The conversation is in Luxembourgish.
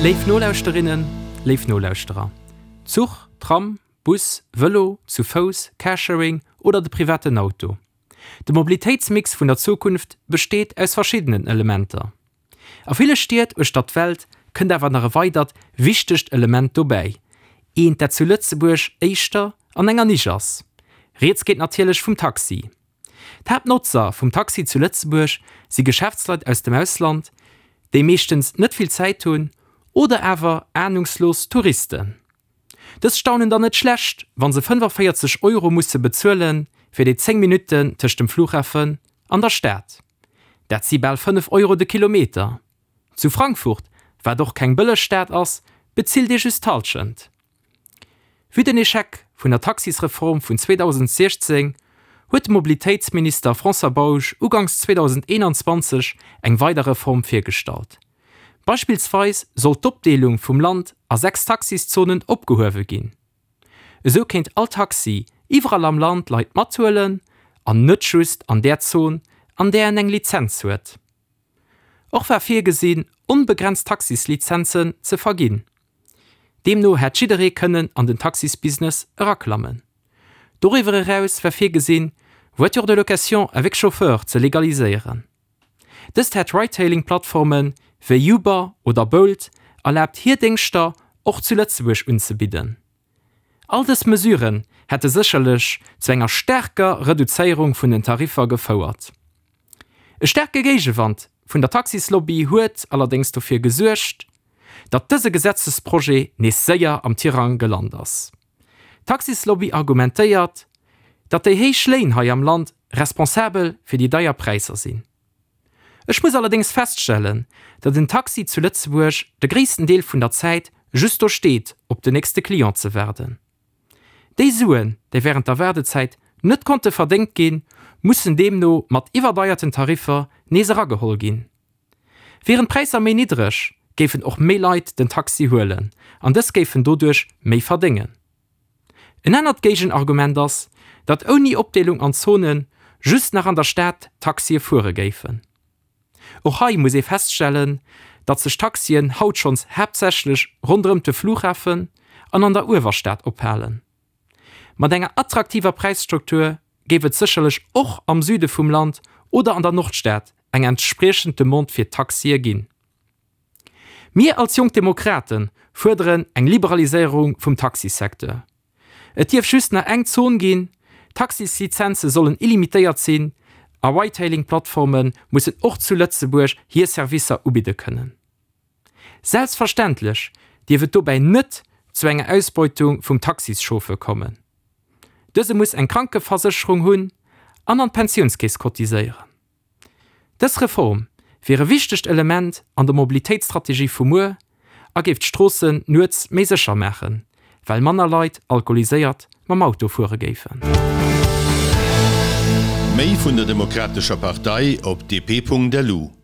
Léif Nolauschterinnen, léif Nolauschterer, Zuch, Tram, Bus, Vëlo, zu Fouss, Carsharing oder de privaten Auto, de Mobilitéitsmix vun der Zukunft besteet aus verschiddenen Elementer. A ville Stied uechter d'Welt kënnt awer nach e weidert wichtegt Element dobäi, eent dat zu Lëtzebuerg éischter an enger Nisch ass. Rieds geet natierlech vum Taxi. D'Haaptnotzer vum Taxi zu Lëtzebuerg si Geschäftsleit aus dem Ausland, déi meeschtens net vill Zäit hunn, oder awer anungslos Touristen. Dës staunen dann net schlecht, wa se 45 Euro musse bezuele fir déi 10 Minutten tëscht dem Flughafen an der Stad. Dat si bal 5 Euro de Kilometer. Zu Frankfurt, wat och keng bëlleg Stad ass, bezilt ee just d'Hallschent. Vue den Echec vun der Taxisreform vun 2016 huet de Mobilitéitsminister François Bausch uganks 2021 eng weider Reform virgestallt. Beispillsweis soll d'Opdeelung vum Land a 6 Taxiszonen opgehuewe ginn. Esou kéint all Taxi iwwerall am Land Leit mathuelen an net just an där Zon, an där en eng Lizenz huet. Och war virgesinn, onbegrenzt Taxislizenzen ze verginn. Deemno hätt jidderee kënnen an den Taxisbusiness eraklammen. Doriwwer eraus war virgesinn, Voitures de location avec chauffeur ze legaliséieren. Dëst hätt Ride-Hailing-Plattforme wéi Uber oder Bolt erlaabt hir Déngschter och zu Lëtzebuerg unzebidden. All dës Mesuren hätte sécherlech zu enger staarker Reduzéierung vun den Tariffer gefouert. E staarke Géigewand vun der Taxislobby huet allerdéngs dofir gesuergt, datt dëse Gesetzesprojet nees séier am Tirang gelant ass. D'Taxislobby argumentéiert, datt déi héich Léin hei am Land responsabel fir déi deier Präisser sinn. Ech muss allerdéngs feststellen, datt en Taxi zu Lëtzebuerg de gréissten Deel vun der Zäit just do steet op den nächste Client ze waarden. Déi Suen, déi wärend der Waardezäit net konnte verdéngt ginn, mussen deemno mat iwwerdeierten Tariffer nees erageholl ginn. Wieren d'Präisser méi niddreg, géifen och méi Leit den Taxi huelen an dës géifen doduerch méi verdéngen. En anert Géigenargument ass, datt ouni Opdeelung an Zone just nach an der Stad Taxie fuere géifen. Och hei muss ee feststellen, datt sech Taxien haut schonns haaptsächlech ronderëmt de Flughafen an an der Uewerstad ophalen. Mat enger attraktiver Präisstruktur géif et sécherlech och am Süde vum Land oder an der Nordstad eng entspriechend Demande fir Taxie ginn. Mir als Jonk Demokrate fuerderen eng Liberaliséierung vum Taxisecteur. Et dierf just nach eng Zon ginn, d'Taxislizenze sollen illimitéiert sinn a Ride-Hailing-Plattforme mussen och zu Lëtzebuerg hir Servicer ubidde kënnen. Selbstverständlech dierf et dobäi net zu enger Ausbeutung vum Taxischauffeur kommen. Dëse muss eng Krankeversécherung hunn an an d'Pensiounskeess cotiséieren. Dës Reform wier e wichtegt Element an der Mobilitéitsstrategie vu muer a géif d'Stroossen nuets méi sécher maachen, well manner Leit alkoholiséiert mam Auto fuere géifen. Méi vun der Demokratescher Partei op dp.lu.